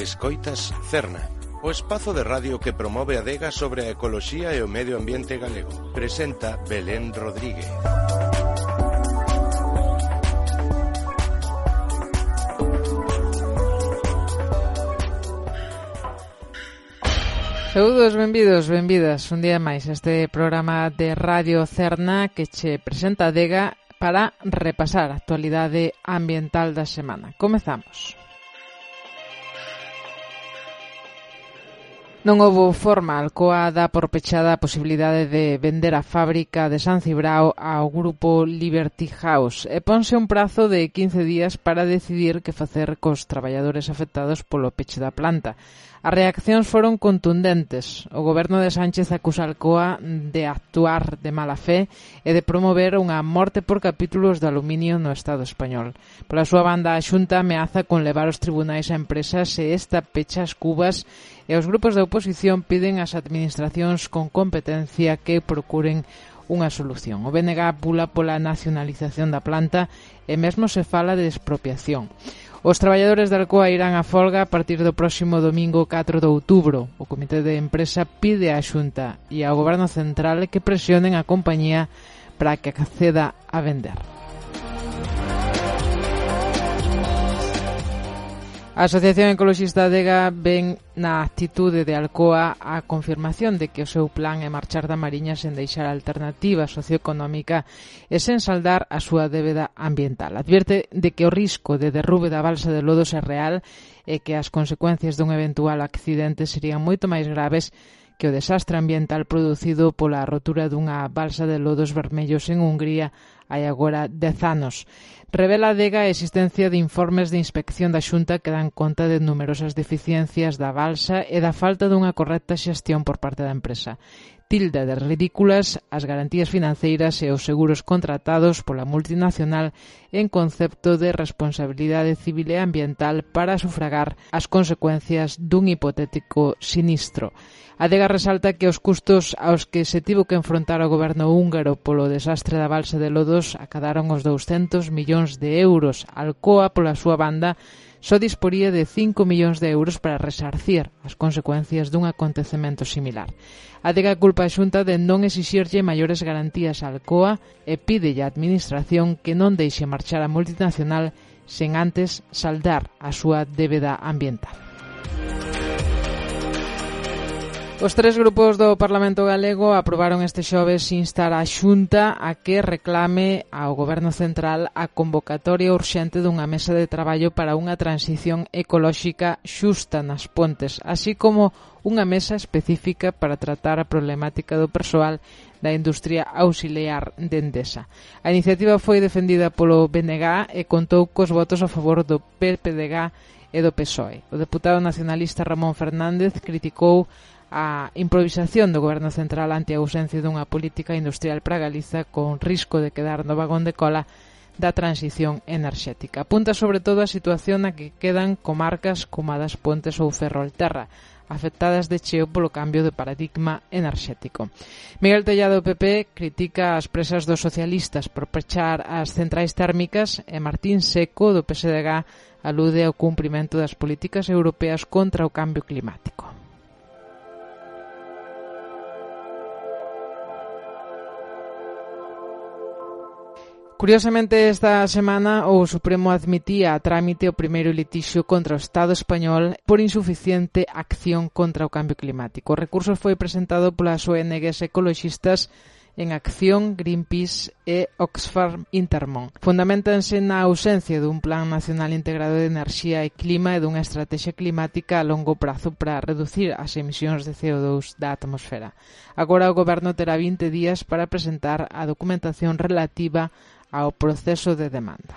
Escoitas Cerna, o espazo de radio que promove a adega sobre a ecoloxía e o medio ambiente galego. Presenta Belén Rodríguez. Saúdos, benvidas un día máis a este programa de Radio Cerna que che presenta a adega para repasar a actualidade ambiental da semana. Comezamos. Non houbo forma, Alcoa dá por pechada a posibilidade de vender a fábrica de San Cibrao ao grupo Liberty House e ponse un prazo de 15 días para decidir que facer cos traballadores afectados polo peche da planta. As reaccións foron contundentes. O goberno de Sánchez acusa a Alcoa de actuar de mala fe e de promover unha morte por capítulos de aluminio no Estado español. Pola súa banda, a Xunta ameaza con levar aos tribunais a empresa se esta pecha as cubas e os grupos da oposición piden ás administracións con competencia que procuren unha solución. O BNG pula pola nacionalización da planta e mesmo se fala de expropiación. Os traballadores da Alcoa irán a folga a partir do próximo domingo 4 de outubro. O comité de empresa pide á Xunta e ao Goberno Central que presionen a compañía para que acceda a vender. A Asociación Ecoloxista Adega ven na actitude de Alcoa a confirmación de que o seu plan é marchar da Mariña sen deixar alternativa socioeconómica e sen saldar a súa débeda ambiental. Advierte de que o risco de derrube da balsa de Lodos é real e que as consecuencias dun eventual accidente serían moito máis graves que o desastre ambiental producido pola rotura dunha balsa de lodos vermellos en Hungría hai agora 10 anos. Revela a adega a existencia de informes de inspección da Xunta que dan conta de numerosas deficiencias da balsa e da falta dunha correcta xestión por parte da empresa. Tilda de ridículas as garantías financeiras e os seguros contratados pola multinacional en concepto de responsabilidade civil e ambiental para sufragar as consecuencias dun hipotético sinistro. A adega resalta que os custos aos que se tivo que enfrontar o goberno húngaro polo desastre da balsa de Lodos acadaron os 200 millóns de euros. Alcoa, pola súa banda, só disporía de 5 millóns de euros para resarcir as consecuencias dun acontecemento similar. A adega culpa a Xunta de non exixirlle maiores garantías a Alcoa e pídelle á administración que non deixe marchar a multinacional sen antes saldar a súa débeda ambiental. Os tres grupos do Parlamento galego aprobaron este xoves instar a Xunta a que reclame ao Goberno Central a convocatoria urxente dunha mesa de traballo para unha transición ecolóxica xusta nas Pontes, así como unha mesa específica para tratar a problemática do persoal da industria auxiliar de Endesa. A iniciativa foi defendida polo BNG e contou cos votos a favor do PPDG e do PSOE. O deputado nacionalista Ramón Fernández criticou a improvisación do Goberno Central ante a ausencia dunha política industrial para Galiza con risco de quedar no vagón de cola da transición enerxética. Apunta sobre todo a situación na que quedan comarcas como a das Pontes ou Ferrolterra, afectadas de cheo polo cambio de paradigma enerxético. Miguel Tellado do PP critica as presas dos socialistas por pechar as centrais térmicas e Martín Seco do PSDG alude ao cumprimento das políticas europeas contra o cambio climático. Curiosamente, esta semana o Supremo admitía a trámite o primeiro litixio contra o Estado español por insuficiente acción contra o cambio climático. O recurso foi presentado polas ONGs ecoloxistas en Acción, Greenpeace e Oxfam Intermon. Fundamentanse na ausencia dun Plan Nacional Integrado de Enerxía e Clima e dunha estrategia climática a longo prazo para reducir as emisións de CO2 da atmosfera. Agora o Goberno terá 20 días para presentar a documentación relativa ao proceso de demanda.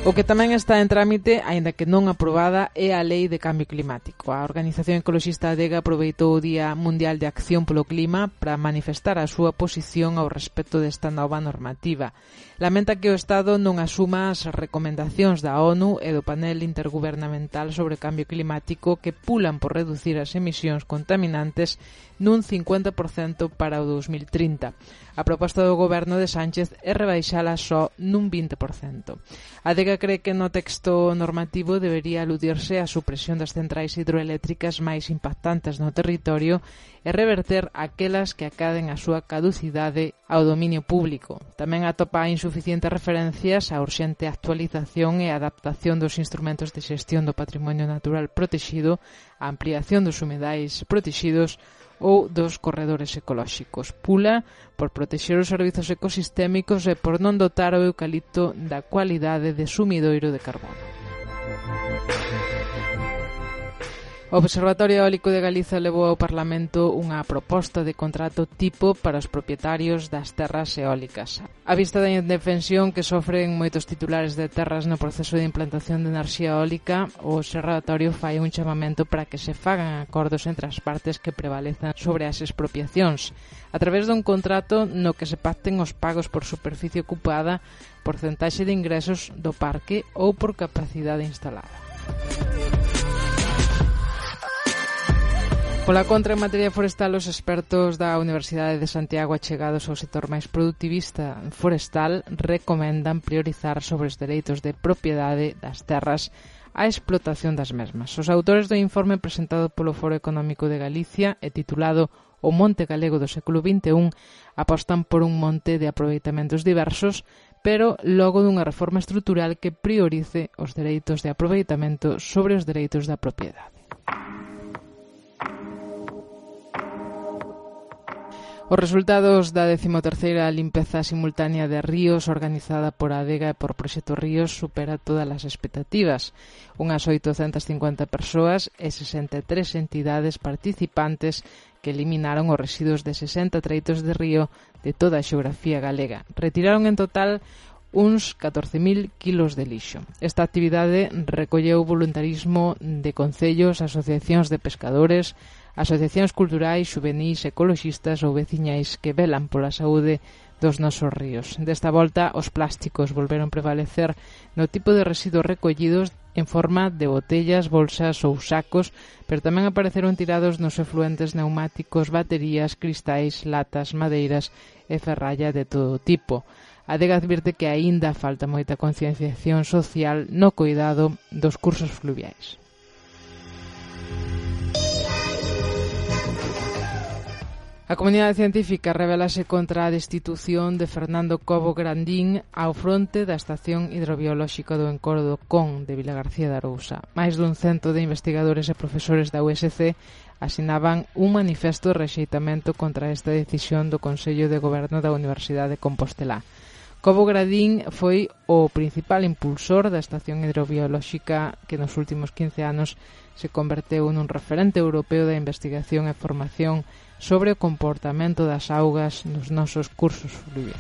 O que tamén está en trámite, aínda que non aprobada, é a Lei de Cambio Climático. A Organización Ecoloxista Adega aproveitou o Día Mundial de Acción polo Clima para manifestar a súa posición ao respecto desta nova normativa. Lamenta que o Estado non asuma as recomendacións da ONU e do Panel Intergubernamental sobre Cambio Climático que pulan por reducir as emisións contaminantes nun 50% para o 2030. A proposta do goberno de Sánchez é rebaixala só nun 20%. A Adega Adega cree que no texto normativo debería aludirse á supresión das centrais hidroeléctricas máis impactantes no territorio e reverter aquelas que acaden a súa caducidade ao dominio público. Tamén atopa insuficientes referencias á urxente actualización e adaptación dos instrumentos de xestión do patrimonio natural protexido, a ampliación dos humedais protexidos ou dos corredores ecolóxicos. Pula por protexer os servizos ecosistémicos e por non dotar o eucalipto da cualidade de sumidoiro de carbono. O Observatorio Eólico de Galiza levou ao Parlamento unha proposta de contrato tipo para os propietarios das terras eólicas. A vista da indefensión que sofren moitos titulares de terras no proceso de implantación de enerxía eólica, o Observatorio fai un chamamento para que se fagan acordos entre as partes que prevalezan sobre as expropiacións, a través dun contrato no que se pacten os pagos por superficie ocupada, porcentaxe de ingresos do parque ou por capacidade instalada. Pola contra, en materia forestal, os expertos da Universidade de Santiago achegados ao sector máis productivista forestal recomendan priorizar sobre os dereitos de propiedade das terras a explotación das mesmas. Os autores do informe presentado polo Foro Económico de Galicia e titulado O Monte Galego do século XXI apostan por un monte de aproveitamentos diversos, pero logo dunha reforma estrutural que priorice os dereitos de aproveitamento sobre os dereitos da propiedade. Os resultados da 13ª limpeza simultánea de ríos organizada por Adega e por Proxecto Ríos supera todas as expectativas. Unhas 850 persoas e 63 entidades participantes que eliminaron os residuos de 60 treitos de río de toda a xeografía galega. Retiraron en total uns 14.000 kilos de lixo. Esta actividade recolleu voluntarismo de concellos, asociacións de pescadores, asociacións culturais, xuvenís, ecoloxistas ou veciñais que velan pola saúde dos nosos ríos. Desta volta, os plásticos volveron prevalecer no tipo de residuos recollidos en forma de botellas, bolsas ou sacos, pero tamén apareceron tirados nos efluentes neumáticos, baterías, cristais, latas, madeiras e ferralla de todo tipo. A Adega advirte que aínda falta moita concienciación social no cuidado dos cursos fluviais. A comunidade científica rebelase contra a destitución de Fernando Cobo Grandín ao fronte da Estación Hidrobiolóxica do Encoro do Con de Vilagarcía de Arousa. Máis dun cento de investigadores e profesores da USC asinaban un manifesto de rexeitamento contra esta decisión do Consello de Goberno da Universidade de Compostelá. Cobo Grandín foi o principal impulsor da Estación Hidrobiolóxica que nos últimos 15 anos se converteu nun referente europeo da investigación e formación sobre o comportamento das augas nos nosos cursos fluviais.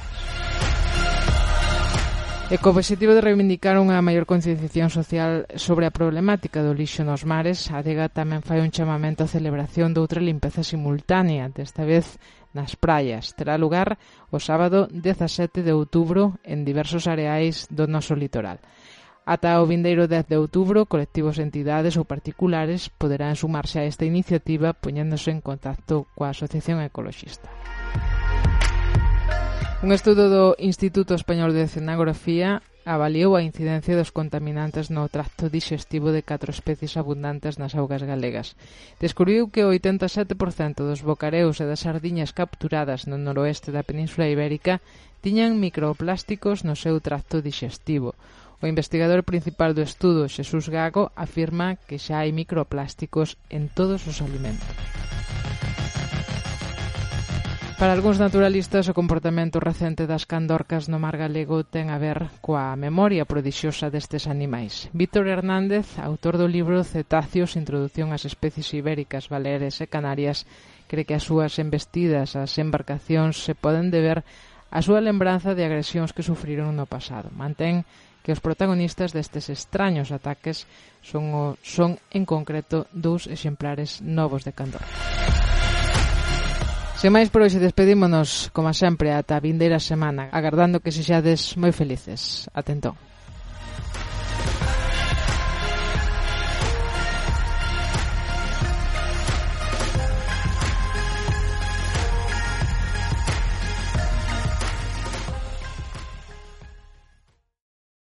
E co obxectivo de reivindicar unha maior concienciación social sobre a problemática do lixo nos mares, a Adega tamén fai un chamamento á celebración de outra limpeza simultánea, desta vez nas praias. Terá lugar o sábado 17 de outubro en diversos areais do noso litoral. Ata o vindeiro 10 de outubro, colectivos, entidades ou particulares poderán sumarse a esta iniciativa poñéndose en contacto coa Asociación Ecoloxista. Un estudo do Instituto Español de Oceanografía avaliou a incidencia dos contaminantes no tracto dixestivo de 4 especies abundantes nas augas galegas. Descubriu que o 87% dos bocareus e das sardiñas capturadas no noroeste da Península Ibérica tiñan microplásticos no seu tracto dixestivo. O investigador principal do estudo, Xesús Gago, afirma que xa hai microplásticos en todos os alimentos. Para algúns naturalistas, o comportamento recente das candorcas no mar galego ten a ver coa memoria prodixiosa destes animais. Víctor Hernández, autor do libro Cetáceos, Introdución ás especies ibéricas, baleares e canarias, cree que as súas embestidas ás embarcacións se poden deber á súa lembranza de agresións que sufriron no pasado. Mantén que os protagonistas destes extraños ataques son en concreto 2 exemplares novos de candor. Sen máis por hoxe, despedímonos, como sempre, ata a vindeira semana, agardando que sexades moi felices. Atentón.